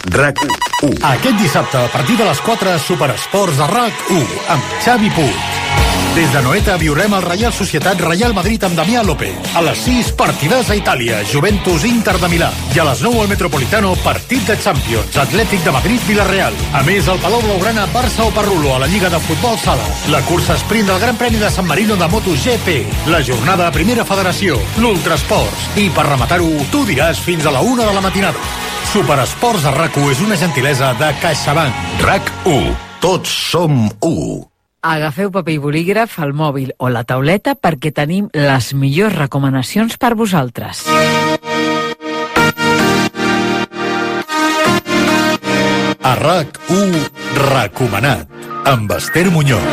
RAC1. Aquest dissabte, a partir de les 4, Superesports a RAC1, amb Xavi Puig. Des de Noeta viurem el Reial Societat Real Madrid amb Damià López. A les 6, partidàs a Itàlia, Juventus Inter de Milà. I a les 9 al Metropolitano, partit de Champions, Atlètic de Madrid Villarreal. A més, al Palau Blaugrana, Barça o Parrulo a la Lliga de Futbol Sala. La cursa sprint del Gran Premi de San Marino de MotoGP. La jornada a Primera Federació, l'Ultrasports. I per rematar-ho, tu diràs fins a la 1 de la matinada. Superesports a RAC1 és una gentilesa de CaixaBank. RAC1. Tots som 1. Agafeu paper i bolígraf, el mòbil o la tauleta perquè tenim les millors recomanacions per vosaltres. A RAC1, recomanat, amb Esther Muñoz.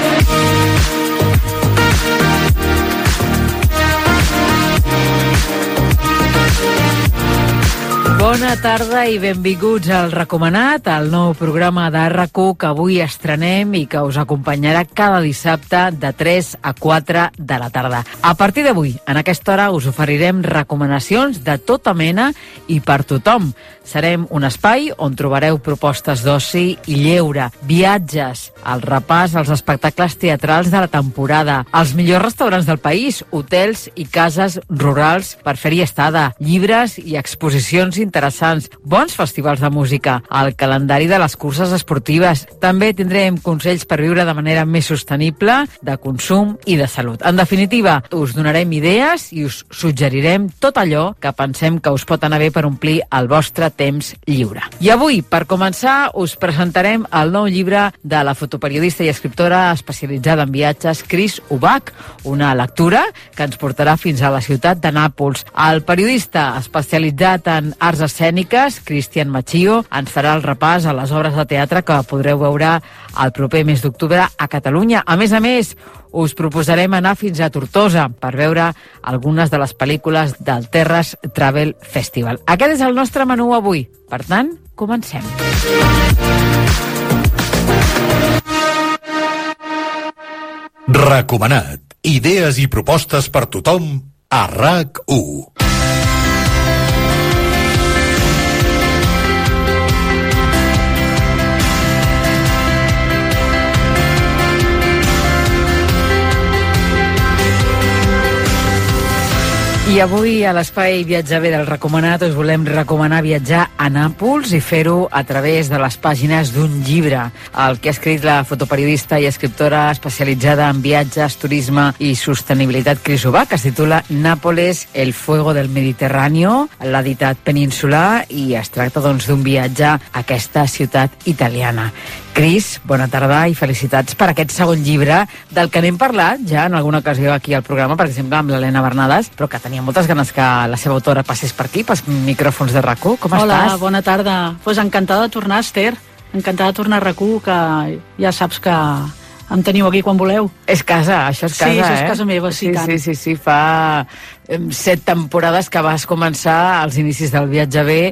Bona tarda i benvinguts al Recomanat, el nou programa de RAC1 que avui estrenem i que us acompanyarà cada dissabte de 3 a 4 de la tarda. A partir d'avui, en aquesta hora, us oferirem recomanacions de tota mena i per tothom. Serem un espai on trobareu propostes d'oci i lleure, viatges, el repàs als espectacles teatrals de la temporada, els millors restaurants del país, hotels i cases rurals per fer-hi estada, llibres i exposicions interessants, bons festivals de música, el calendari de les curses esportives. També tindrem consells per viure de manera més sostenible, de consum i de salut. En definitiva, us donarem idees i us suggerirem tot allò que pensem que us pot anar bé per omplir el vostre temps lliure. I avui, per començar, us presentarem el nou llibre de la fotoperiodista i escriptora especialitzada en viatges, Cris Ubach, una lectura que ens portarà fins a la ciutat de Nàpols. El periodista especialitzat en arts escèniques, Cristian Machio, ens farà el repàs a les obres de teatre que podreu veure el proper mes d'octubre a Catalunya. A més, us proposarem anar fins a Tortosa per veure algunes de les pel·lícules del Terres Travel Festival. Aquest és el nostre menú avui. Per tant, comencem. Recomanat. Idees i propostes per tothom a RAC1. I avui a l'Espai Viatjar Bé del Recomanat us volem recomanar viatjar a Nàpols i fer-ho a través de les pàgines d'un llibre. El que ha escrit la fotoperiodista i escriptora especialitzada en viatges, turisme i sostenibilitat Cris Ubach, que es titula Nápoles, el fuego del Mediterráneo. L'ha editat Península i es tracta doncs d'un viatge a aquesta ciutat italiana. Cris, bona tarda i felicitats per aquest segon llibre del que n'hem parlat ja en alguna ocasió aquí al programa, per exemple amb l'Helena Bernades, però que tenia moltes ganes que la seva autora passés per aquí, pels micròfons de RAC1. Com estàs? Hola, bona tarda. Pues encantada de tornar, Esther. Encantada de tornar a RAC1, que ja saps que em teniu aquí quan voleu. És casa, això és casa, sí, això és casa meva, sí, tant. Sí, fa 7 temporades que vas començar als inicis del Viatge Bé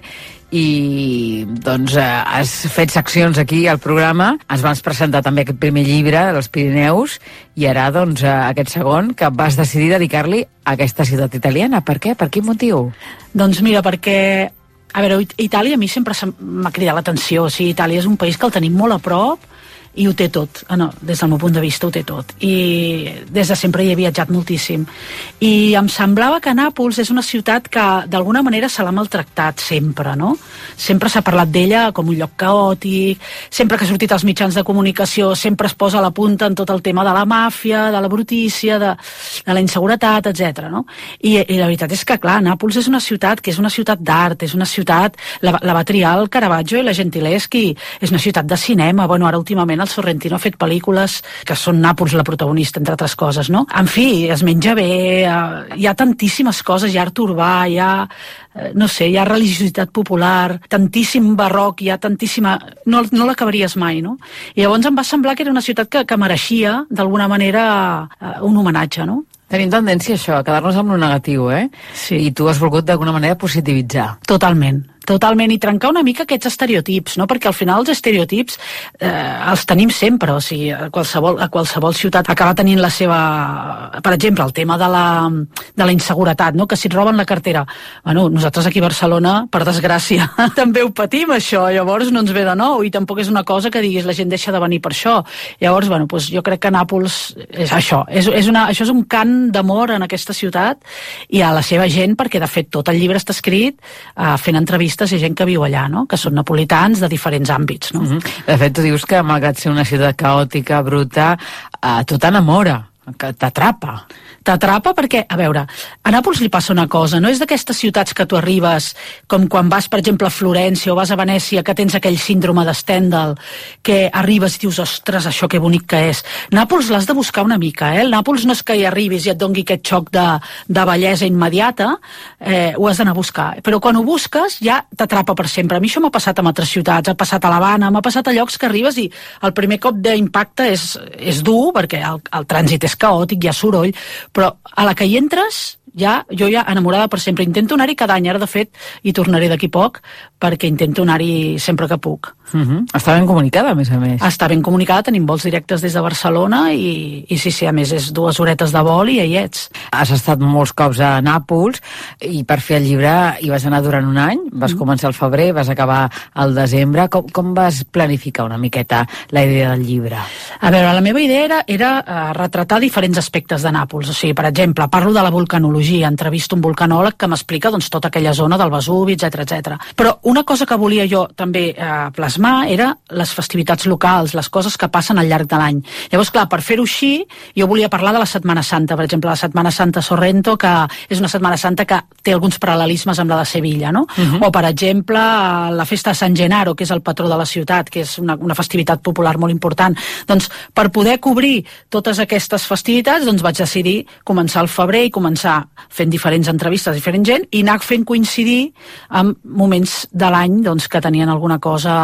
i doncs has fet seccions aquí al programa, ens vas presentar també aquest primer llibre dels Pirineus i ara doncs aquest segon que vas decidir dedicar-li a aquesta ciutat italiana. Per què? Per quin motiu? Doncs mira, perquè a veure, Itàlia a mi sempre m'ha cridat l'atenció. O sigui, Itàlia és un país que el tenim molt a prop i ho té tot, des del meu punt de vista ho té tot, i des de sempre hi he viatjat moltíssim, i em semblava que Nàpols és una ciutat que d'alguna manera se l'ha maltractat sempre, no? Sempre s'ha parlat d'ella com un lloc caòtic, sempre que ha sortit als mitjans de comunicació sempre es posa a la punta en tot el tema de la màfia, de la brutícia, de la inseguretat, etc. No? I la veritat és que, clar, Nàpols és una ciutat que és una ciutat d'art, és una ciutat, la va triar el Caravaggio i la Gentileschi, és una ciutat de cinema, bueno, ara últimament el Sorrentino ha fet pel·lícules que són Nàpols la protagonista, entre altres coses, no? En fi, es menja bé, hi ha tantíssimes coses, hi ha art urbà, hi ha, no sé, hi ha religiositat popular, tantíssim barroc, hi ha tantíssima... No l'acabaries mai, no? I llavors em va semblar que era una ciutat que mereixia, d'alguna manera, un homenatge, no? Tenim tendència a això, a quedar-nos amb lo negatiu, eh? Sí. I tu has volgut d'alguna manera positivitzar. Totalment. Totalment, i trencar una mica aquests estereotips, no? Perquè al final els estereotips els tenim sempre, o sigui, a qualsevol ciutat acaba tenint la seva... Per exemple, el tema de la inseguretat, no? Que si et roben la cartera. Bueno, nosaltres aquí a Barcelona, per desgràcia, també ho patim, això, llavors no ens ve de nou, i tampoc és una cosa que diguis la gent deixa de venir per això. Llavors, bueno, doncs jo crec que Nàpols és això, això és un cant d'amor en aquesta ciutat i a la seva gent, perquè de fet tot el llibre està escrit fent entrevistes i gent que viu allà, no? Que són napolitans de diferents àmbits, no? De fet, tu dius que malgrat ser una ciutat caòtica, bruta, tu t'enamora, que t'atrapa. T'atrapa perquè, a veure, a Nàpols li passa una cosa, no és d'aquestes ciutats que tu arribes, com quan vas, per exemple, a Florència o vas a Venècia, que tens aquell síndrome de Stendhal, que arribes i dius, ostres, això que bonic que és. Nàpols l'has de buscar una mica, eh? El Nàpols no és que hi arribis i et dongui aquest xoc de bellesa immediata, ho has d'anar a buscar. Però quan ho busques ja t'atrapa per sempre. A mi això m'ha passat a altres ciutats, ha passat a l'Havana, m'ha passat a llocs que arribes i el primer cop d'impacte és dur, perquè el trànsit és caòtic, hi ha soroll, però a la que hi entres, jo ja enamorada per sempre. Intento anar-hi cada any, ara de fet hi tornaré d'aquí poc, perquè intento anar-hi sempre que puc. Està ben comunicada, a més a més. Està ben comunicada, tenim vols directes des de Barcelona i sí, a més és 2 horetes de vol i ja hi ets. Has estat molts cops a Nàpols i per fer el llibre hi vas anar durant un any, vas començar al febrer, vas acabar al desembre. Com vas planificar una miqueta la idea del llibre? A veure, la meva idea era retratar diferents aspectes de Nàpols. O sigui, per exemple, parlo de la vulcanologia, entrevisto un vulcanòleg que m'explica doncs, tota aquella zona del Vesuvi, etc. Però una cosa que volia jo també plasmar era les festivitats locals, les coses que passen al llarg de l'any. Llavors, clar, per fer-ho així, jo volia parlar de la Setmana Santa, per exemple, la Setmana Santa Sorrento, que és una Setmana Santa que té alguns paral·lelismes amb la de Sevilla, no? O, per exemple, la festa de San Gennaro, que és el patró de la ciutat, que és una festivitat popular molt important. Doncs, per poder cobrir totes aquestes festivitats, doncs vaig decidir començar al febrer i començar fent diferents entrevistes a diferent gent i anar fent coincidir amb moments de l'any doncs, que tenien alguna cosa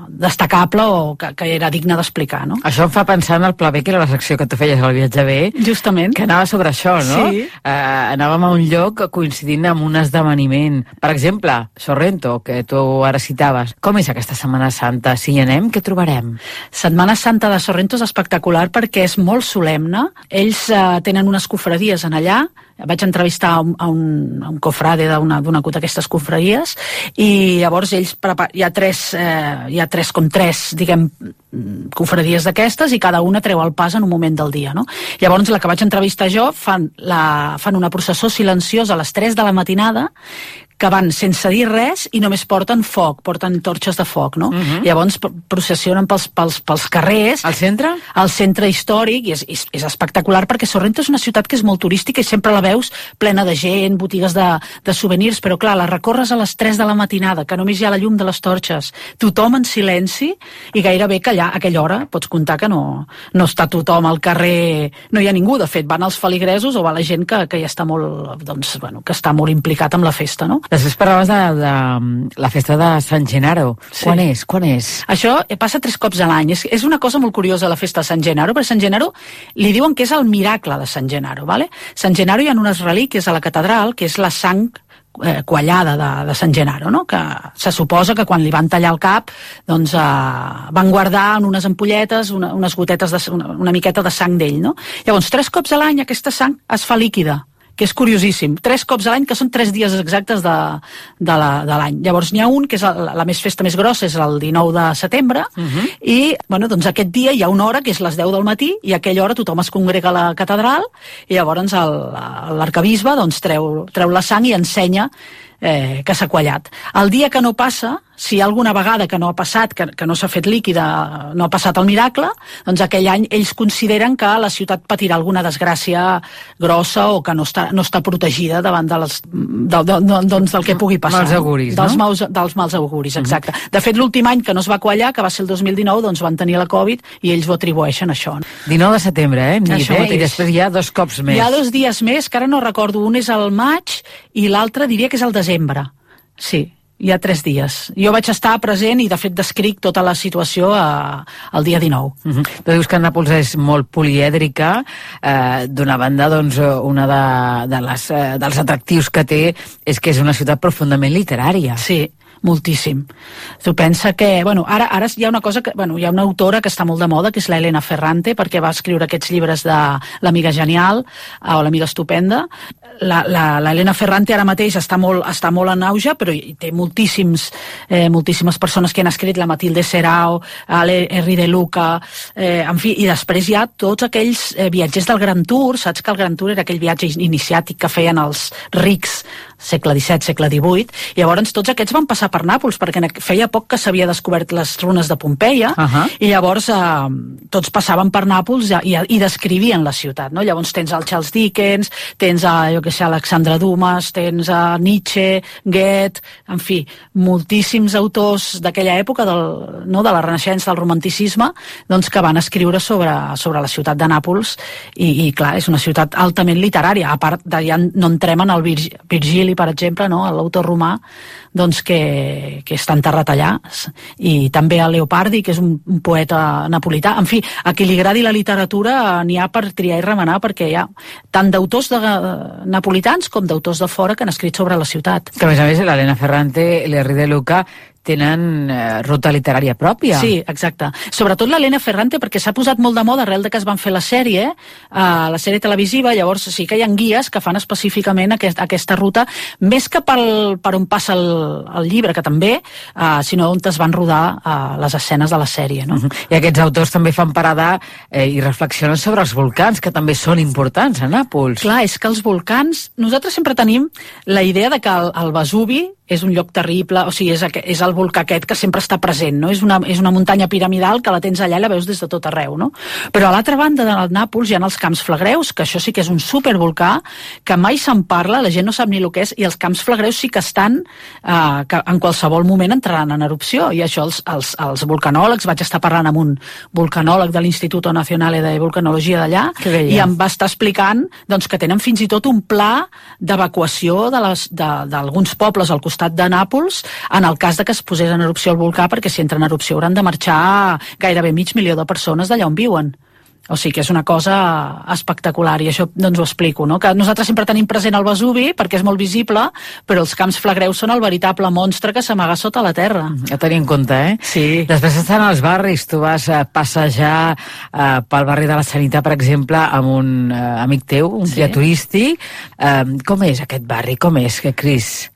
destacable o que era digne d'explicar, no? Això em fa pensar en el Pla B, que era la secció que tu feies al Viatge B. Justament. Que anava sobre això, no? Sí. Anàvem a un lloc coincidint amb un esdeveniment. Per exemple, Sorrento, que tu ara citaves. Com és aquesta Setmana Santa? Si hi anem, què trobarem? Setmana Santa de Sorrento és espectacular perquè és molt solemne. Ells tenen unes cofradies en allà. Vaig entrevistar a un cofrade d'una d'aquestes cofradies i llavors ells hi ha tres, diguem, cofradies d'aquestes i cada una treu el pas en un moment del dia, no? Llavors la que vaig entrevistar jo fan una processó silenciosa a les 3 de la matinada que van sense dir res i només porten foc, porten torxes de foc, no? Llavors processionen pels carrers. Al centre? Al centre històric, i és espectacular perquè Sorrento és una ciutat que és molt turística i sempre la veus plena de gent, botigues de souvenirs, però clar, la recorres a les 3 de la matinada, que només hi ha la llum de les torxes, tothom en silenci, i gairebé que allà, a aquella hora, pots comptar que no està tothom al carrer, no hi ha ningú, de fet, van els feligresos o va la gent que ja està molt, doncs, bueno, que està molt implicat amb la festa, no? Després parlaves de la festa de San Gennaro. Sí. Quan és? Això passa 3 cops a l'any. És una cosa molt curiosa la festa de San Gennaro, perquè San Gennaro li diuen que és el miracle de San Gennaro, ¿vale? San Gennaro hi ha unes relíquies a la catedral, que és la sang quallada de San Gennaro, no? Que se suposa que quan li van tallar el cap doncs van guardar en unes ampolletes unes gotetes, una miqueta de sang d'ell, no? Llavors, 3 cops a l'any aquesta sang es fa líquida, que és curiosíssim. 3 cops a l'any, que són 3 dies exactes de l'any. Llavors n'hi ha un, que és la festa més grossa, és el 19 de setembre, i bueno, doncs aquest dia hi ha una hora, que és les 10 del matí, i a aquella hora tothom es congrega a la catedral, i llavors l'arquebisbe doncs, treu la sang i ensenya que s'ha quallat. El dia que no passa, si hi ha alguna vegada que no ha passat, que no s'ha fet líquida, no ha passat el miracle, doncs aquell any ells consideren que la ciutat patirà alguna desgràcia grossa o que no està protegida davant del que pugui passar. Mals auguris, no? Dels mals auguris, exacte. De fet, l'últim any que no es va quallar, que va ser el 2019, doncs van tenir la Covid i ells ho atribueixen a això. 19 de setembre, Això mateix. I després hi ha 2 cops més. Hi ha 2 dies més, que ara no recordo, un és el maig i l'altre diria que és el desembre. Sí, hi ha 3 dies. Jo vaig estar present i de fet descric tota la situació el dia 19. Tu dius que Nàpols és molt polièdrica. D'una banda, doncs, una dels atractius que té és que és una ciutat profundament literària. Sí, moltíssim. Tu pensa que, bueno, ara hi ha una cosa que, bueno, hi ha una autora que està molt de moda, que és l'Elena Ferrante, perquè va escriure aquests llibres de l'Amiga Genial o l'Amiga Estupenda. L'Elena Ferrante ara mateix està molt en auge, però té moltíssimes persones que han escrit, la Matilde Serao, l'Henri de Luca, en fi, i després hi ha tots aquells viatgers del Grand Tour. Saps que el Grand Tour era aquell viatge iniciàtic que feien els rics segle XVII, segle XVIII, i llavors tots aquests van passar per Nàpols, perquè feia poc que s'havia descobert les runes de Pompeia, i llavors tots passaven per Nàpols i descrivien la ciutat, no? Llavors tens el Charles Dickens, tens Alexandre Dumas, tens Nietzsche, Goethe, en fi, moltíssims autors d'aquella època de la Renaixença, del Romanticisme, doncs que van escriure sobre la ciutat de Nàpols, i clar, és una ciutat altament literària, a part de ja no entrem en el Virgili, per exemple, no? L'autor romà, doncs que està enterrat allà, i també el Leopardi, que és un poeta napolità. En fi, a qui li agradi la literatura n'hi ha per triar i remenar, perquè hi ha tant d'autors napolitans com d'autors de fora que han escrit sobre la ciutat. Que a més, l'Elena Ferrante, l'Henri de Luca tenen ruta literària pròpia. Sí, exacte. Sobretot l'Elena Ferrante, perquè s'ha posat molt de moda arrel de que es van fer la sèrie televisiva, llavors sí que hi ha guies que fan específicament aquesta ruta, més que per on passa el llibre, que també, sinó on es van rodar les escenes de la sèrie, no? I aquests autors també fan parada i reflexionen sobre els volcans, que també són importants a Nàpols. Clar, és que els volcans... Nosaltres sempre tenim la idea de que el Vesuvi és un lloc terrible, o sigui, és el volcà aquest que sempre està present, no? És una muntanya piramidal que la tens allà i la veus des de tot arreu, no? Però a l'altra banda del Nàpols hi ha els Camps Flagreus, que això sí que és un supervolcà, que mai se'n parla, la gent no sap ni el que és, i els Camps Flagreus sí que estan, que en qualsevol moment entraran en erupció, i això els vulcanòlegs, vaig estar parlant amb un vulcanòleg de l'Instituto Nazionale de Vulcanologia d'allà, i em va estar explicant doncs, que tenen fins i tot un pla d'evacuació d'alguns pobles al costat de Nàpols en el cas de que es posés en erupció el volcà, perquè si entra en erupció hauran de marxar gairebé 500.000 de persones d'allà on viuen. O sigui que és una cosa espectacular, i això doncs ho explico, no? Que nosaltres sempre tenim present el Vesuvi perquè és molt visible, però els Camps Flagreus són el veritable monstre que s'amaga sota la terra. A tenir en compte, eh? Sí. Després estan als barris, tu vas passejar pel barri de la Sanitat, per exemple, amb un amic teu, un guia turístic. Com és aquest barri? Com és, Cris?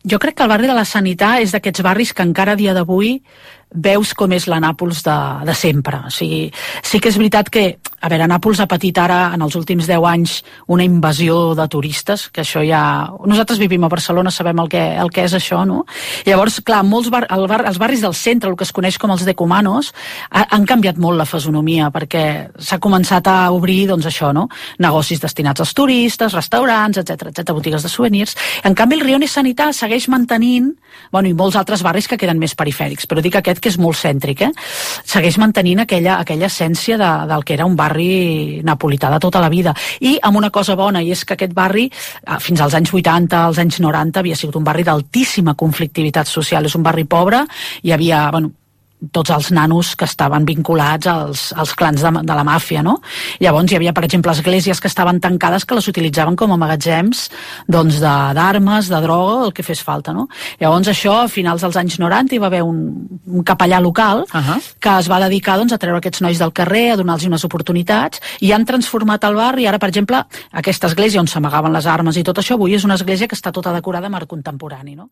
Jo crec que el barri de la Sanitat és d'aquests barris que encara a dia d'avui veus com és la Nàpols de sempre. O sigui, sí que és veritat que, a veure, Nàpols ha patit ara, en els últims 10 anys, una invasió de turistes, que això ja... Nosaltres vivim a Barcelona, sabem el que és això, no? Llavors, clar, els barris del centre, el que es coneix com els decumanos, han canviat molt la fisonomia, perquè s'ha començat a obrir, doncs això, no? Negocis destinats als turistes, restaurants, etc, botigues de souvenirs. En canvi, el Rione Sanitat segueix mantenint, bueno, i molts altres barris que queden més perifèrics, però dic aquest que és molt cèntric, segueix mantenint aquella essència del que era un barri napolità de tota la vida. I amb una cosa bona, i és que aquest barri, fins als anys 80, als anys 90, havia sigut un barri d'altíssima conflictivitat social. És un barri pobre, hi havia, bueno, tots els nanos que estaven vinculats als clans de la màfia, no? Llavors hi havia, per exemple, esglésies que estaven tancades que les utilitzaven com a magatzems doncs d'armes, de droga, el que fes falta, no? Llavors això, a finals dels anys 90, hi va haver un capellà local que es va dedicar doncs, a treure aquests nois del carrer, a donar-los unes oportunitats, i han transformat el barri. Ara, per exemple, aquesta església on s'amagaven les armes i tot això, avui és una església que està tota decorada amb art contemporani, no?